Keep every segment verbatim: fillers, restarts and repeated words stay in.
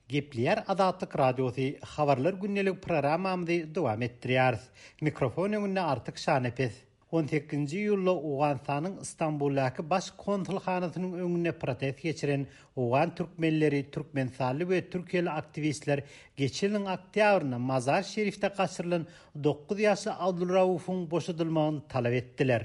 Gepleýär Azatlyk Radiosy, Habarlar gündelik programmamyzy dowam etdirýäris. Mikrofon öňünde Artyk Şanepes. On sekizinji iýulda Owganystanyň Stambuldaky Baş konsulhanasynyň öňünde protest geçiren owgan türkmenleri, türkmenistanly we türkiýeli aktiwistler geçen ýylyň oktýabrynda Mazar-Şerifde gaçyrylan dokuz ýaşly Abdulraufyň boşadylmagyny talap etdiler.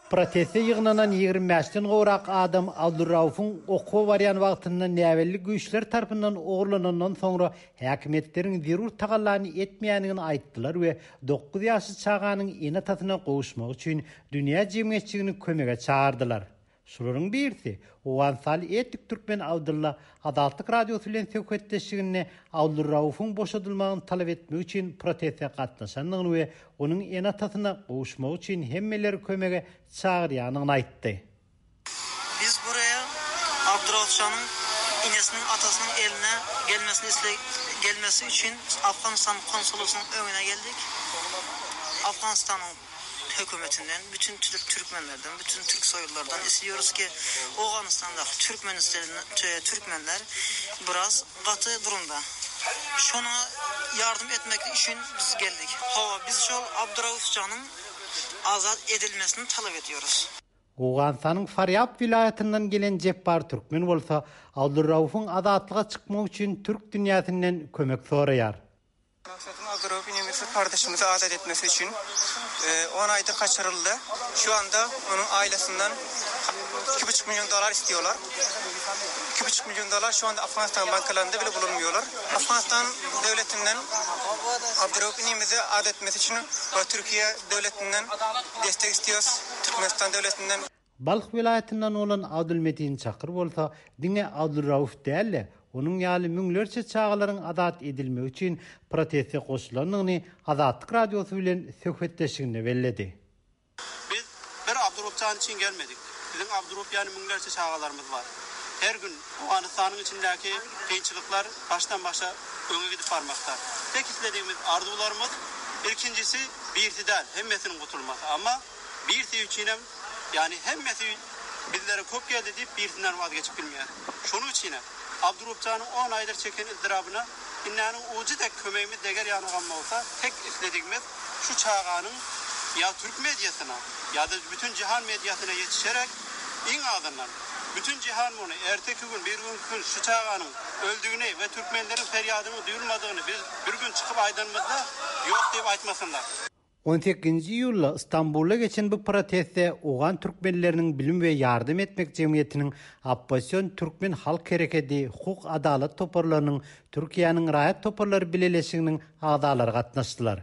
Proteste ýygnanan ýigrimi bäşden gowrak adam Abdulraufyň okuwa barýan wagtynda näbelli güýçler tarapyndan ogurlanandan soňra häkimiýetleriň zerur tagallany etmeýändigini aýtdylar we dokuz ýaşly çaganyň ene-atasyna gowuşmagy üçin dünýä jemgyýetçiligini kömege çagyrdylar. Şolaryň birisi, owganystanly etnik türkmen Abdylla Azatlyk Radiosy bilen söhbetdeşliginde Abdulraufyň boşadylmagyny talap etmek üçin proteste gatnaşandygyny we onuň ene-atasyna gowuşmagy üçin hemmeleri kömege çagyrýandygyny aýtdy. Biz buraya Abduraufjanyň enesiniň atasynyň eline gelmesini isle gelmesi üçin Afganistan konsolosynyň öňüne geldik. Afganistanyň hökümetinden, bütün türk türkmenlerden, bütün türk soylulardan istiyoruz ki Owganystandaky türkmenler biraz gaty durumda. Şona yardım etmek üçin biz geldik. Hawa, biz şol Abduraufjanyň azat edilmesini talap ediyoruz. Owganystanyň Farýab welaýatyndan gelen Jepbar Türkmen bolsa Abdurraufyň azatlyga çykmagy üçin türk dünýäsinden kömek soraýar. Maksadym Abdurauf inimizi kardeşimizi azat etmesi üçin on aýdyr kaçyryldy. Şu anda onuň ailesinden iki buçuk milyon dolar istiyorlar. Iki buçuk milyon dolar şu anda Afganistan bankalarynda bile bulunmuyorlar. Afganistan döwletinden Abdurauf inimizi azat etmesi üçin we Türkiye döwletinden destek istiyoruz. Türkmenistan döwletinden. Balh welaýatyndan bolan Abdulmetin Çakyr bolsa diňe Abdurauf däl-de, onuň ýaly müňlerçe çagalaryň azat edilmegi üçin proteste goşulandygyny Azatlyk Radiosy bilen söhbetdeşliginde belledi. Biz bir Abduraufjan üçin gelmedik. Biziň Abdurauf ýaly müňlerçe çagalarymyz bar. Her gün Owganystanyň içindäki kynçylyklar başdan başa öňe gidip barmakda. Tek isledigimiz arzuwlarymyz ilkinjisi birisi däl, hemmesiniň gutulmasy. Amma birisi üçinem, ýagny hemmesi bizlere köp geldi diýip birisinden wazgeçip bilmeýär. Şonuň üçinem Abduraufjanyň on aýdyr çeken ızdyrabına innäniň ujy dek kömegimiz deger ýanagam bolsa, tek isledigimiz şu çaganyň ýa türk mediasyna ýa-da bütün cihan mediasyna ýetişerek iň azyndan bütün cihan muny erteki gün bir gün gün şu çaganyň öldügini we türkmenleriň ferýadynyň duýulmadygyny biz bir gün çykyp aýdanymyzda ýok diýip aýtmasynlar. On sekizinji iýulda Stambulda geçen bu protestde Owgan türkmenleriniň bilim we ýardam etmek jemgyýetiniň oppozision türkmen halk hereketi, hukuk adalat toparlarynyň, Türkiýäniň raýat toparlary bileleşiginiň agzalary gatnaşdylar.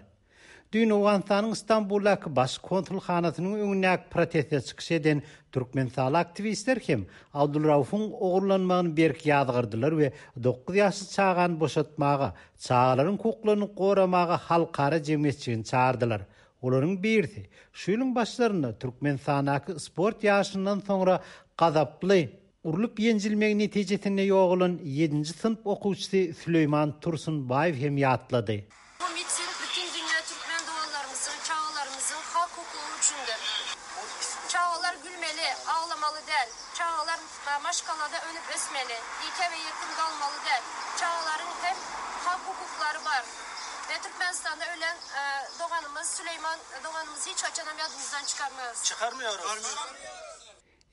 Düýn Owganystanyň Stambuldaky baş konsulhanasynyň öňündäki proteste çykyş eden türkmenistanly aktiwistler hem Abdulraufyň ogurlanmagyny berk ýazgyrdylar we dokuz ýaşly çagany boşatmaga, çagalaryň hukuklaryny goramaga halkara jemgyýetçiligini çagyrdylar. Olaryň birisi şu ýylyň başlarynda Türkmenistandaky sport ýaşyndan soňra gazaply urlup ýenjilmegi netijesinde ýogalan ýedinji synp okuwçysy Süleýman Tursunbaýew hem ýatlady. Bu miting bütün dünýä türkmen doganlarymyzyň, çagalarymyzyň hak hukugy üçindir. Çagalar gülmeli, aglamaly däl. Çagalar maşgalada önüp ösmeli, ýeke we ýetim galmaly däl. Çagalaryň hem hak hukuklary bar. We Türkmenistanda ölen doganymyz Süleýman doganymyzy hiç haçanam ýadymyzdan çykarmarys. Çykarmıyoruz.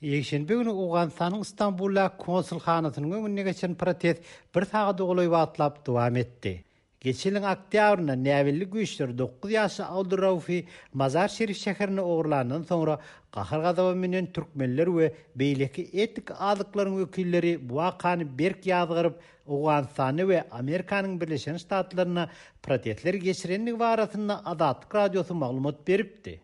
Ýekşenbe güni Owganystanyň Stambuldaky konsulhanasynyň öňünde geçen protest bir sagada golaý wagtlap dowam etdi. Geçen ýylyň oktýabrynda näbelli güýçler dokuz ýaşly Abduraufy Mazar-Şerif şäherine ogurlandan soňra gahar-gazaba münen türkmenler we beýleki etnik azlyklaryň wekilleri bu wakany berk ýazgyryp, Owganystanda we Amerikanyň Birleşen Ştatlarynda protestler geçirendigi barasynda Azatlyk Radiosy maglumat beripdi.